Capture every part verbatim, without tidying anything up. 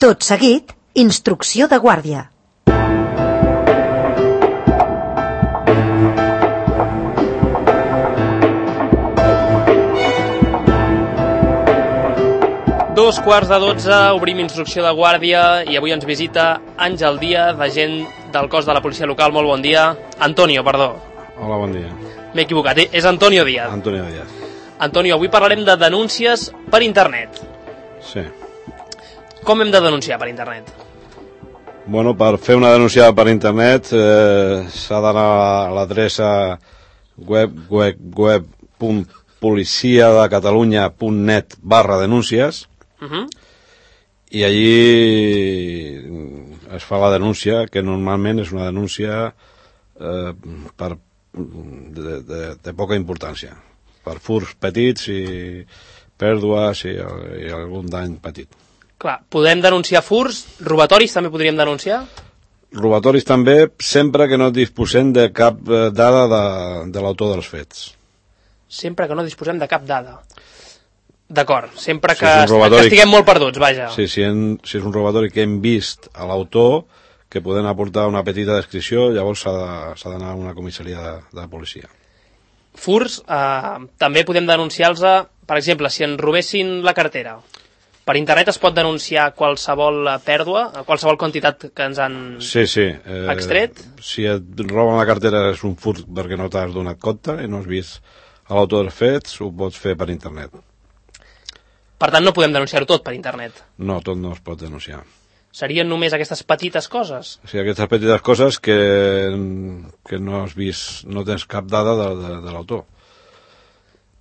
Tot seguit, instrucció de guàrdia. Dos quarts de dotze, obrim instrucció de guàrdia i avui ens visita Àngel Díaz, agent del cos de la policia local. Molt bon dia. Antonio, perdó. Hola, bon dia. M'he equivocat, és Antonio Díaz. Antonio Díaz. Antonio, avui parlarem de denúncies per internet. Sí. Com hem de denunciar per internet? Bueno, per fer una denúncia per internet eh, s'ha d'anar a l'adreça web web web punt policia de catalunya punt net barra denúncies. Uh-huh. I allí es fa la denúncia, que normalment és una denúncia eh, per, de, de, de poca importància, per furts petits i pèrdues i, i algun dany petit. Clar, podem denunciar furts, robatoris també podríem denunciar? Robatoris també, sempre que no disposem de cap dada de, de l'autor dels fets. Sempre que no disposem de cap dada. D'acord, sempre que, si robatori, que estiguem molt perduts, vaja. Sí, si, en, si és un robatori que hem vist a l'autor, que podem aportar una petita descripció, llavors s'ha d'anar a una comissaria de, de policia. Furts, eh, també podem denunciar-los, per exemple, si ens robessin la cartera. Per internet es pot denunciar qualsevol pèrdua, qualsevol quantitat que ens han sí, sí. Eh, extret? Si et roben la cartera és un furt perquè no t'has donat compte i no has vist a l'autor dels fets, ho pots fer per internet. Per tant, no podem denunciar-ho tot per internet? No, tot no es pot denunciar. Serien només aquestes petites coses? Sí, aquestes petites coses que, que no has vist, no tens cap dada de, de, de l'autor.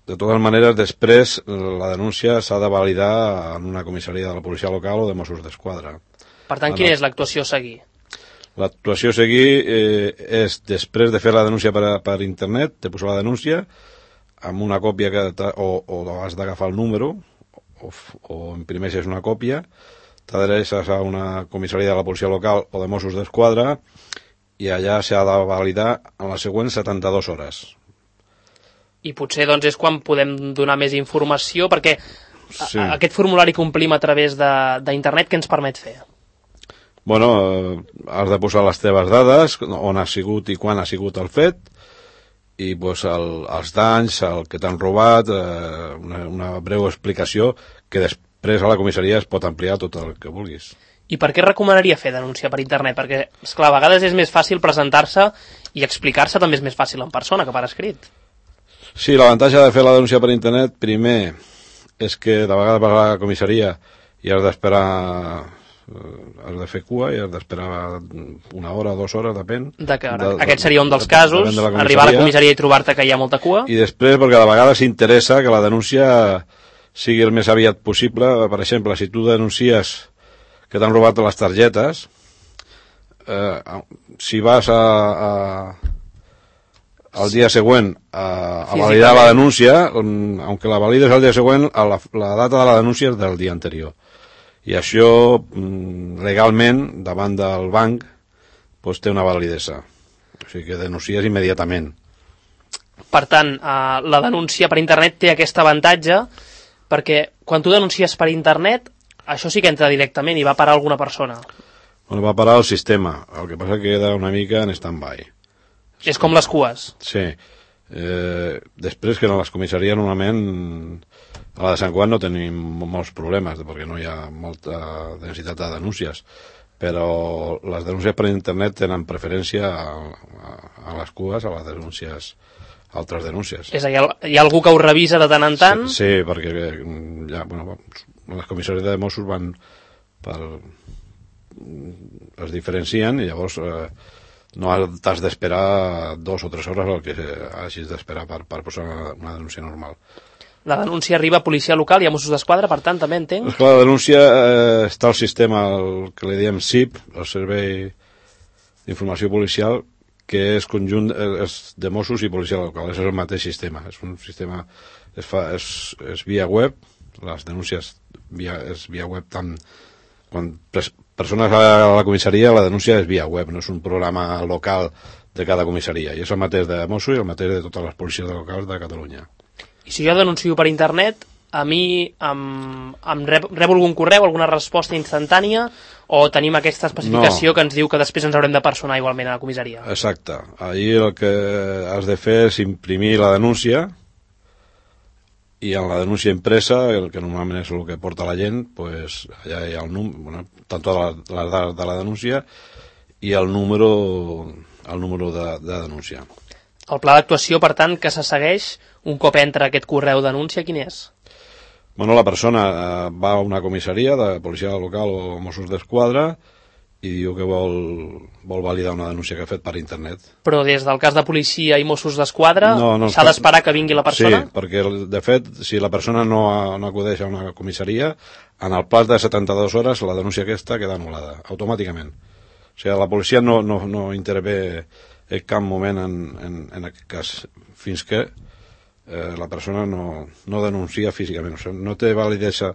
De totes maneres, després la denúncia s'ha de validar en una comissaria de la policia local o de Mossos d'Esquadra. Per tant, quina és l'actuació a seguir? L'actuació a seguir eh, és, després de fer la denúncia per, per internet, de posar la denúncia, amb una còpia que o, o has d'agafar el número, o, o imprimeixes una còpia, t'adreces a una comissaria de la policia local o de Mossos d'Esquadra i allà s'ha de validar en les següents setanta-dues hores. I potser doncs és quan podem donar més informació, perquè sí. a, aquest formulari que omplim a través d'internet, què ens permet fer? Bueno, has de posar les teves dades, on ha sigut i quan ha sigut el fet, i pues, el, els danys, el que t'han robat, eh, una, una breu explicació que després a la comissaria es pot ampliar tot el que vulguis. I per què recomanaria fer denúncia per internet? Perquè, esclar, a vegades és més fàcil presentar-se i explicar-se també és més fàcil en persona que per escrit. Sí, l'avantatge de fer la denúncia per internet, primer, és que de vegades vas a la comissaria i has d'esperar, has de fer cua i has d'esperar una hora, dues hores, depèn. D'acord, de, aquest seria un dels de, casos, de arribar a la comissaria i trobar-te que hi ha molta cua. I després, perquè de vegades s'interessa que la denúncia sigui el més aviat possible. Per exemple, si tu denuncies que t'han robat les targetes, eh, si vas a... a el dia següent a, a validar la denúncia, aunque la valides el dia següent, la, la data de la denúncia és del dia anterior. I això, legalment, davant del banc, doncs té una validesa. O sigui que denuncies immediatament. Per tant, eh, la denúncia per internet té aquest avantatge, perquè quan tu denuncies per internet, això sí que entra directament i va parar alguna persona. Bueno, va parar el sistema, el que passa que queda una mica en stand-by. És com les cues. Sí. Eh, després que en les comissaries normalment a la de Sant Juan no tenim molts problemes perquè no hi ha molta densitat de denúncies, però les denúncies per internet tenen preferència a, a, a les cues, a les denúncies, a altres denúncies. És a dir, hi ha algú que ho revisa de tant en tant? Sí, sí, perquè ja, bueno, les comissaries de Mossos van per... es diferencien i llavors eh, no t'has d'esperar dos o tres hores el que hagis d'esperar per, per posar una, una denúncia normal. La denúncia arriba a policia local i a Mossos d'Esquadra, per tant, també entenc? Esclar, la denúncia eh, està al sistema, el que li diem S I P, el Servei d'Informació Policial, que és conjunt és de Mossos i policia local, és el mateix sistema. És un sistema, es fa, és, és via web, les denúncies via, és via web tant quan pres, persones a la comissaria, la denúncia és via web, no és un programa local de cada comissaria, i és el mateix de Mossos i el mateix de totes les policies locals de Catalunya. I si jo denuncio per internet, a mi em, em rep, rebo algun correu, alguna resposta instantània, o tenim aquesta especificació no. que ens diu que després ens haurem de personar igualment a la comissaria? Exacte. Ahir el que has de fer és imprimir la denúncia, i en la denúncia impresa, el que normalment és el que porta la gent, pues, allà hi ha el número, bueno, tant totes les dades de la denúncia i el número, el número de, de denúncia. El pla d'actuació, per tant, que se segueix un cop entra aquest correu denúncia, quin és? Bueno, la persona eh, va a una comissaria de policia local o Mossos d'Esquadra i diu que vol, vol validar una denúncia que ha fet per internet. Però des del cas de policia i Mossos d'Esquadra no, no, s'ha d'esperar que vingui la persona? Sí, perquè de fet, si la persona no, no acudeix a una comissaria, en el plaç de setanta-dues hores la denúncia aquesta queda anul·lada, automàticament. O sigui, la policia no, no, no intervé en cap moment en, en, en aquest cas, fins que eh, la persona no, no denuncia físicament. O sigui, no té validesa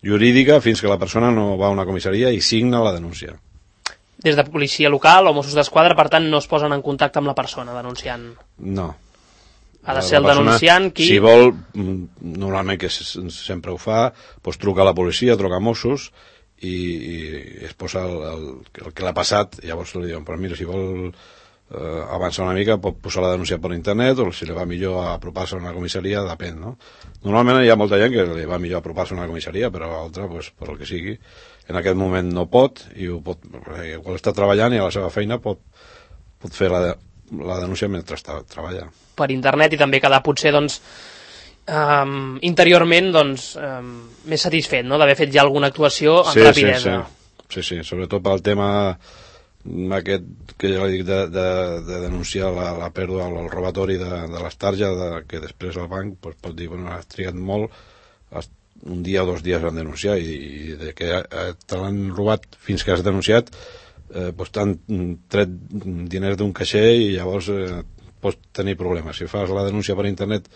jurídica fins que la persona no va a una comissaria i signa la denúncia. Des de policia local o Mossos d'Esquadra, per tant, no es posen en contacte amb la persona denunciant? No. Ha de ser el denunciant qui... Si vol, normalment, que sempre ho fa, doncs truca a la policia, truca a Mossos i, i es posa el, el, el que l'ha passat, i llavors li diuen, però mira, si vol eh, avançar una mica, pot posar la denúncia per internet, o si li va millor apropar-se a una comissaria, depèn, no? Normalment hi ha molta gent que li va millor apropar-se a una comissaria, però a l'altra, pues, per el que sigui, en aquest moment no pot, i ho pot, igual està treballant i a la seva feina pot, pot fer la, la denúncia mentre està, treballa. Per internet, i també quedar potser, doncs, um, interiorment, doncs, um, més satisfet, no?, d'haver fet ja alguna actuació amb sí, rapidesa. Sí, sí, sí, sí, sobretot pel tema aquest que ja dic de, de, de denunciar la, la pèrdua o el robatori de, de les targes, de, que després el banc pues, pot dir, bueno, has trigat molt, has un dia o dos dies van denunciar i, i de que eh, te l'han robat fins que has denunciat eh, doncs t'han tret diners d'un caixer i llavors eh, pots tenir problemes. Si fas la denúncia per internet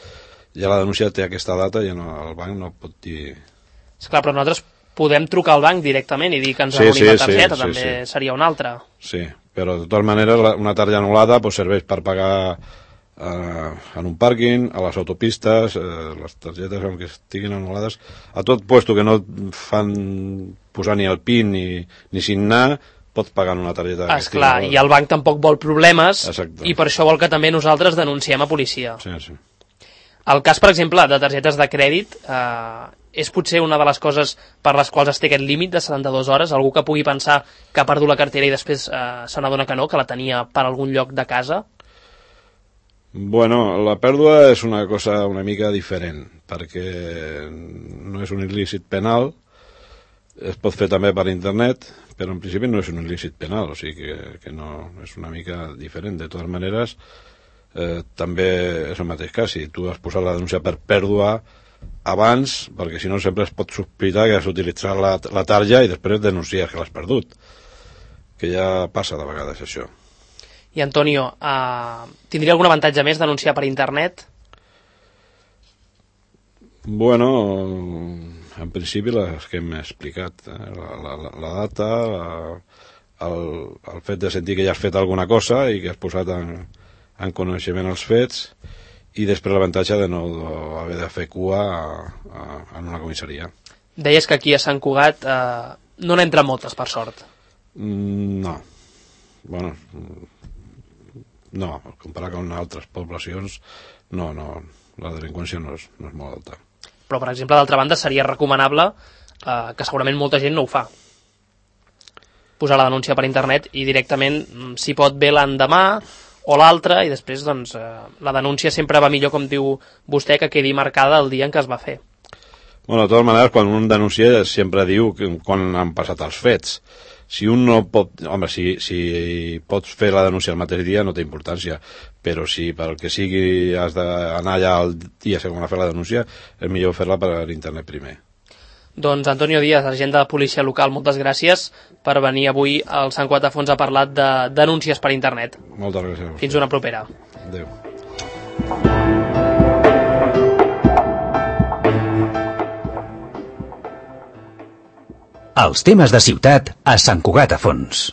ja la denúncia té aquesta data i no, el banc no pot dir... Esclar, però nosaltres podem trucar al banc directament i dir que ens sí, anul·lim sí, la targeta, sí, també sí, sí. seria una altra. Sí, però de totes maneres una targeta anul·lada pues, serveix per pagar Uh, en un pàrquing, a les autopistes, uh, les targetes que estiguin anul·lades, a tot puesto que no fan posar ni el PIN ni, ni signar, pots pagar en una targeta. Esclar, i el banc tampoc vol problemes. Exacte. I per això vol que també nosaltres denunciem a policia. Sí, sí. El cas, per exemple, de targetes de crèdit eh, és potser una de les coses per les quals es té aquest límit de setanta-dues hores. Algú que pugui pensar que ha perdut la cartera i després eh, se n'adona que no, que la tenia per algun lloc de casa. Bueno, la pèrdua és una cosa una mica diferent, perquè no és un il·lícit penal, es pot fer també per internet, però en principi no és un il·lícit penal, o sigui que, que no és una mica diferent. De totes maneres, eh, també és el mateix cas, si tu has posat la denúncia per pèrdua abans, perquè si no sempre es pot sospitar que has utilitzat la, la tarja i després denunciar que l'has perdut, que ja passa de vegades això. I Antonio, eh, tindria algun avantatge més denunciar per internet? Bueno, en principi les que hem explicat, eh? la, la, la data, la, el, el fet de sentir que ja has fet alguna cosa i que has posat en, en coneixement els fets, i després l'avantatge de no haver de fer cua a, a, en una comissaria. Deies que aquí a Sant Cugat eh, no n'entren moltes, per sort. Mm, no. Bueno, no, comparat amb altres poblacions, no, no, la delinqüència no és, no és molt alta. Però, per exemple, d'altra banda, seria recomanable, eh, que segurament molta gent no ho fa, posar la denúncia per internet i directament, si pot, bé l'endemà o l'altre, i després, doncs, eh, la denúncia sempre va millor, com diu vostè, que quedi marcada el dia en què es va fer. Bueno, de totes maneres, quan un denuncia sempre diu que, quan han passat els fets. Si un no pot... Home, si, si pots fer la denúncia el mateix dia no té importància, però si pel que sigui has d'anar allà el dia segons a fer la denúncia, és millor fer-la per internet primer. Doncs Antonio Díaz, agent de policia local, moltes gràcies per venir avui al Sant Cugat a Fons a parlar de denúncies per internet. Moltes gràcies. Fins una propera. Adéu. Els temes de ciutat a Sant Cugat a Fons.